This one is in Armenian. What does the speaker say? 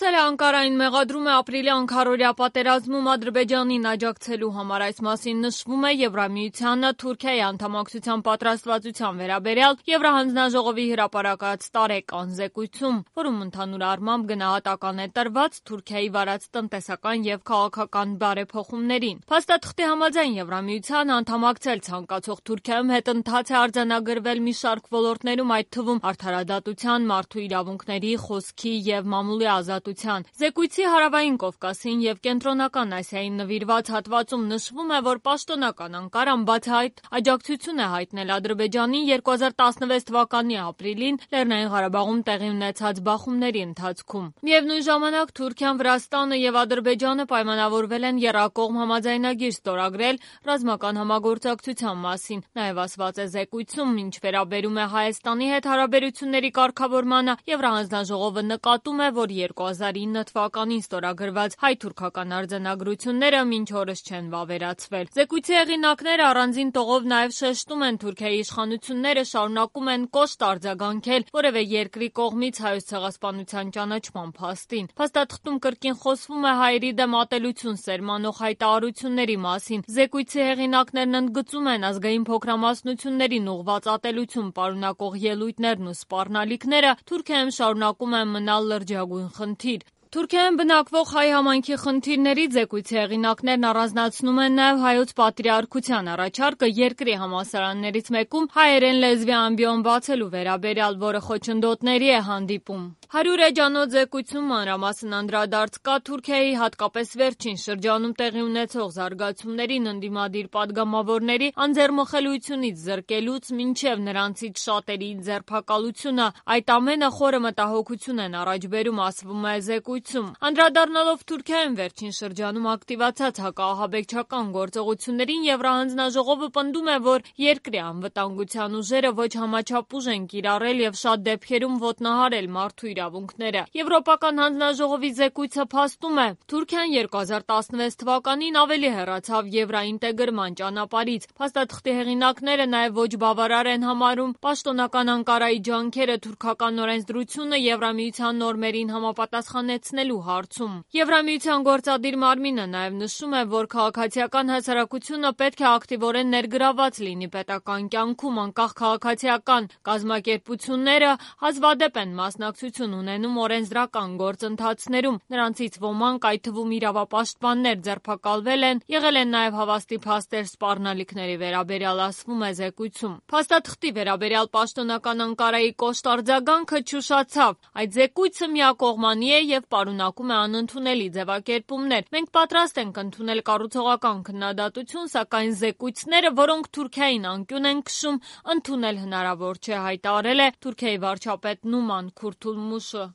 Ասել է Անկարային մեղադրում է ապրիլի անքարորյա պատերազմում Ադրբեջանին աջակցելու համար։ Այս մասին նշվում է Եվրամիությանը Թուրքիայի անդամակցության պատրաստվածության վերաբերյալ Եվրահանձնաժողովի հրապարակած տարեկան զեկույցում, որում ընդհանուր առմամբ գնահատական է տրված Թուրքիայի վարած տնտեսական եւ քաղաքական բարեփոխումներին։ Փաստաթղթի համաձայն Եվրամիությանը անդամակցել ցանկացող Թուրքիայում հետընթաց է արձանագրվել մի շարք ոլորտներում, այդ թվում արդարադատության, մարդու իրավունքների, խոսքի եւ մամուլի ազատության։ Զեկույցի հարավային Կովկասին եւ կենտրոնական Ասիային նվիրված հատվածում նշվում է, որ պաշտոնական Անկարան բացահայտ աջակցություն է հայտնել Ադրբեջանին 2016 թվականի ապրիլին Լեռնային Ղարաբաղում տեղի ունեցած բախումների ընթացքում։ Միևնույն ժամանակ Թուրքիան, Վրաստանը եւ Ադրբեջանը պայմանավորվել են եռակողմ համաձայնագիր ստորագրել ռազմական համագործակցության մասին։ Նաեւ ասված է զեկույցում, ինչ վերաբերում է Հայաստանի հետ հարաբերությունների կարգավորմանը, Եվրահանձնաժողովը նկատում է, որ 2009 թվականին ստորագրված հայ-թուրքական արձանագրությունները մինչ օրս չեն վավերացվել։ Զեկույցի հեղինակները առանձին տողով նաև շեշտում են Թուրքիայի իշխանությունները շարունակում են կոշտ արձագանքել որևէ երկրի կողմից Հայոց ցեղասպանության ճանաչման փաստին։ Փաստաթղթում կրկին խոսվում է հայերի դեմ ատելություն սերմանող հայտարարությունների մասին։ Զեկույցի հեղինակներն ընդգծում են ազգային փոքրամասնություններին ուղղված ատելություն պարունակող ելույթներն ու սպառնալիքները Թուրքիայում շարունակում են մնալ լրջագույն խնդիր։ Թուրքիայում բնակվող հայ համայնքի խնդիրներից զեկույցի հեղինակներն առանձնացնում են նաև հայոց պատրիարքության առաջարկը երկրի համալսարաններից մեկում հայերեն լեզվի ամբիոն բացելու վերաբերյալ, որը խոչընդոտների է հանդիպում։ 100 էջանոց զեկույցում մանրամասն անդրադարձ կա Թուրքիայի հատկապես վերջին շրջանում տեղի ունեցող զարգացումներին, ընդդիմադիր падգամավորների անձեռմխելիությունից զրկելուց մինչև նրանցից շատերի ձերբակալությունը։ Այդ ամենը խորը մտահոգություն են առաջ բերում, ասվում է զեկույցում։ Անդրադառնալով Թուրքիայում վերջին շրջանում ակտիվացած հակաահաբեկչական գործողություններին, Եվրահանձնաժողովը պնդում է, որ երկրի անվտանգության ուժերը ոչ համաչափ ուժ են կիրառել եւ շատ դեպքերում ոտնահարել մարդու իրավունքները։ Եվրոպական հանձնաժողովի զեկույցը փաստում է, Թուրքիան 2016 թվականին ավելի հեռացավ եվրաինտեգրման ճանապարհից։ Փաստաթղթի հեղինակները նաև ոչ բավարար են համարում պաշտոնական Անկարայի ջանքերը թուրքական օրենսդրությունը Եվրամիության նորմերին համապատասխանեցնելու հարցում։ Եվրամիության գործադիր մարմինը նաև նշում է, որ քաղաքացիական հասարակությունը պետք է ակտիվորեն ներգրաված լինի պետական կյանքում, անկախ քաղաքացիական կազմակերպությունները հազվադեպ են մասնակցություն ունենում օրենսդրական գործընթացներում։ Նրանցից ոմանք, այդ թվում իրավապաշտպաններ, ձերբակալվել են, եղել են նաև հավաստի փաստեր սպառնալիքների վերաբերյալ, ասվում է զեկույցում։ Փաստաթղթի վերաբերյալ պաշտոնական Անկարայի կոշտ արձագանքը չուշացավ։ Այդ զեկույցը միակողմանի է եւ պարունակում է անընդունելի ձևակերպումներ։ Մենք պատրաստ ենք ընդունել կառուցողական քննադատություն, սակայն զեկույցները, որոնք Թուրքիային անկյուն են քշում, ընդունել հնարավոր չէ, հայտարարել է Թուրքիայի վարչապետ Նուման Քուրթուլմուշը։